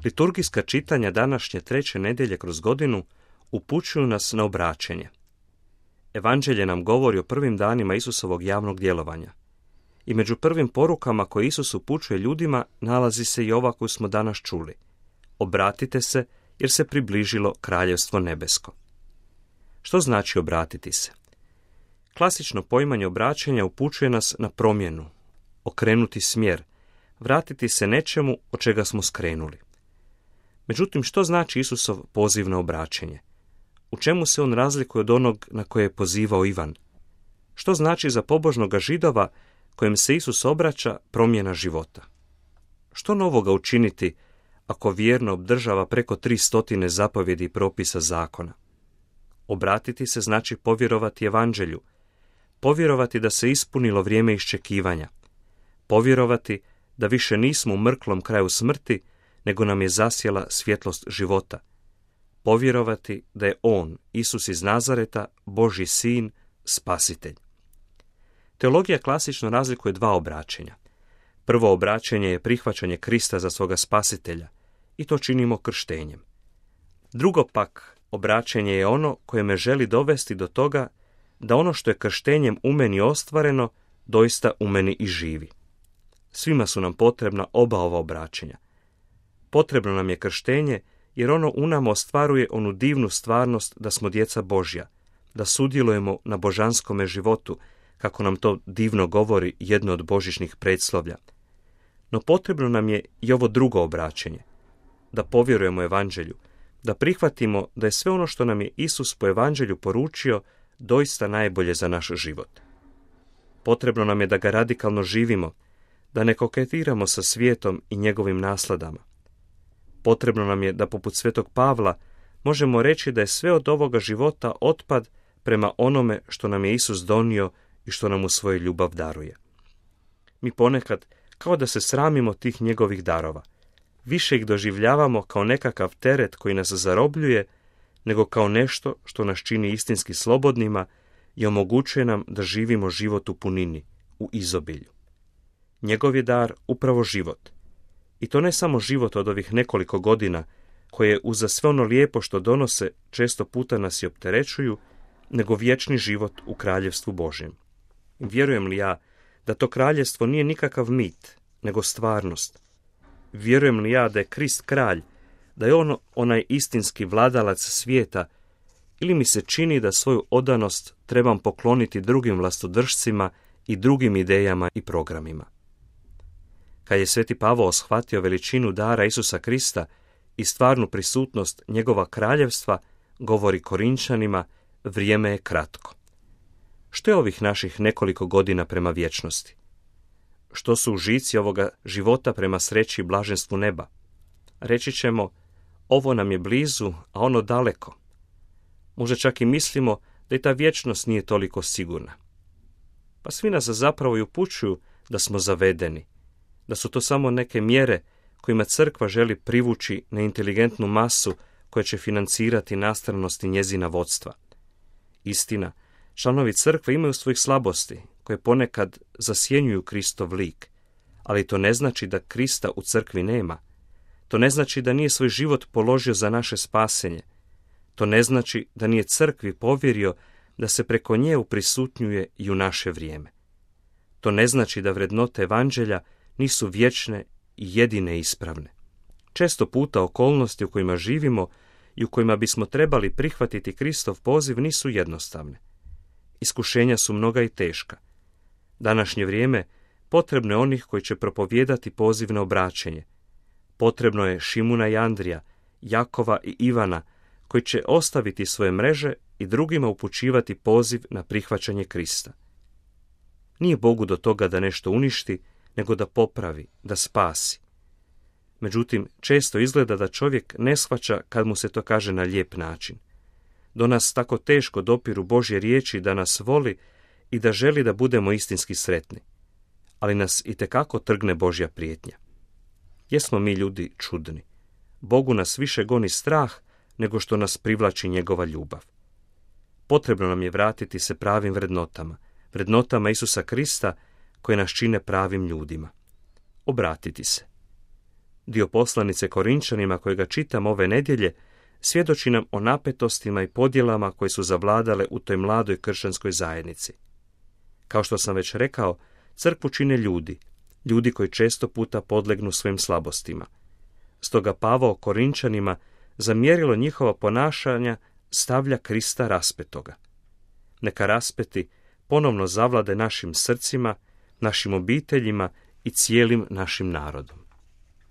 Liturgijska čitanja današnje 3. nedjelje kroz godinu upućuju nas na obraćenje. Evanđelje nam govori o prvim danima Isusovog javnog djelovanja. I među prvim porukama koje Isus upućuje ljudima nalazi se i ova koju smo danas čuli. Obratite se jer se približilo kraljevstvo nebesko. Što znači obratiti se? Klasično poimanje obraćanja upućuje nas na promjenu, okrenuti smjer, vratiti se nečemu od čega smo skrenuli. Međutim, što znači Isusov poziv na obraćenje? U čemu se on razlikuje od onog na koje je pozivao Ivan? Što znači za pobožnoga Židova kojem se Isus obraća promjena života? Što novoga učiniti ako vjerno obdržava preko 300 zapovjedi i propisa zakona? Obratiti se znači povjerovati Evanđelju, povjerovati da se ispunilo vrijeme iščekivanja, povjerovati da više nismo u mrklom kraju smrti, nego nam je zasjela svjetlost života, povjerovati da je On, Isus iz Nazareta, Božji sin, spasitelj. Teologija klasično razlikuje dva obraćenja. Prvo obraćenje je prihvaćanje Krista za svoga spasitelja i to činimo krštenjem. Drugo pak obraćenje je ono koje me želi dovesti do toga da ono što je krštenjem u meni ostvareno, doista u meni i živi. Svima su nam potrebna oba ova obraćenja. Potrebno nam je krštenje jer ono u nama ostvaruje onu divnu stvarnost da smo djeca Božja, da sudjelujemo na božanskome životu, kako nam to divno govori jedno od božićnih predslovlja. No potrebno nam je i ovo drugo obraćenje, da povjerujemo Evanđelju, da prihvatimo da je sve ono što nam je Isus po Evanđelju poručio doista najbolje za naš život. Potrebno nam je da ga radikalno živimo, da ne koketiramo sa svijetom i njegovim nasladama. Potrebno nam je da poput svetog Pavla možemo reći da je sve od ovoga života otpad prema onome što nam je Isus donio i što nam u svojoj ljubav daruje. Mi ponekad kao da se sramimo tih njegovih darova. Više ih doživljavamo kao nekakav teret koji nas zarobljuje, nego kao nešto što nas čini istinski slobodnima i omogućuje nam da živimo život u punini, u izobilju. Njegov je dar upravo život. I to ne samo život od ovih nekoliko godina, koje uza sve ono lijepo što donose često puta nas i opterećuju, nego vječni život u kraljevstvu Božjem. Vjerujem li ja da to kraljevstvo nije nikakav mit, nego stvarnost? Vjerujem li ja da je Krist kralj, da je on onaj istinski vladalac svijeta, ili mi se čini da svoju odanost trebam pokloniti drugim vlastodržcima i drugim idejama i programima? Kad je sveti Pavao shvatio veličinu dara Isusa Krista i stvarnu prisutnost njegova kraljevstva, govori Korinčanima, vrijeme je kratko. Što je ovih naših nekoliko godina prema vječnosti? Što su užici ovoga života prema sreći i blaženstvu neba? Reći ćemo, ovo nam je blizu, a ono daleko. Možda čak i mislimo da i ta vječnost nije toliko sigurna. Pa svi nas zapravo i upućuju da smo zavedeni, da su to samo neke mjere kojima crkva želi privući neinteligentnu masu koja će financirati nastranost i njezina vodstva. Istina, članovi crkve imaju svojih slabosti, koje ponekad zasjenjuju Kristov lik, ali to ne znači da Krista u crkvi nema. To ne znači da nije svoj život položio za naše spasenje. To ne znači da nije crkvi povjerio da se preko nje uprisutnjuje i u naše vrijeme. To ne znači da vrednote Evanđelja nisu vječne i jedine ispravne. Često puta okolnosti u kojima živimo i u kojima bismo trebali prihvatiti Kristov poziv nisu jednostavne. Iskušenja su mnoga i teška. Današnje vrijeme potrebno je onih koji će propovijedati poziv na obraćenje. Potrebno je Šimuna i Andrija, Jakova i Ivana, koji će ostaviti svoje mreže i drugima upućivati poziv na prihvaćanje Krista. Nije Bogu do toga da nešto uništi, nego da popravi, da spasi. Međutim, često izgleda da čovjek ne shvaća kad mu se to kaže na lijep način. Do nas tako teško dopiru Božje riječi da nas voli i da želi da budemo istinski sretni. Ali nas itekako trgne Božja prijetnja. Jesmo mi ljudi čudni. Bogu nas više goni strah nego što nas privlači njegova ljubav. Potrebno nam je vratiti se pravim vrednotama Isusa Krista koje nas čine pravim ljudima. Obratiti se. Dio poslanice Korinčanima kojega čitam ove nedjelje svjedoči nam o napetostima i podjelama koje su zavladale u toj mladoj kršćanskoj zajednici. Kao što sam već rekao, crkvu čine ljudi koji često puta podlegnu svojim slabostima. Stoga Pavao Korinčanima za mjerilo njihova ponašanja stavlja Krista raspetoga. Neka raspeti ponovno zavlade našim srcima, našim obiteljima i cijelim našim narodom.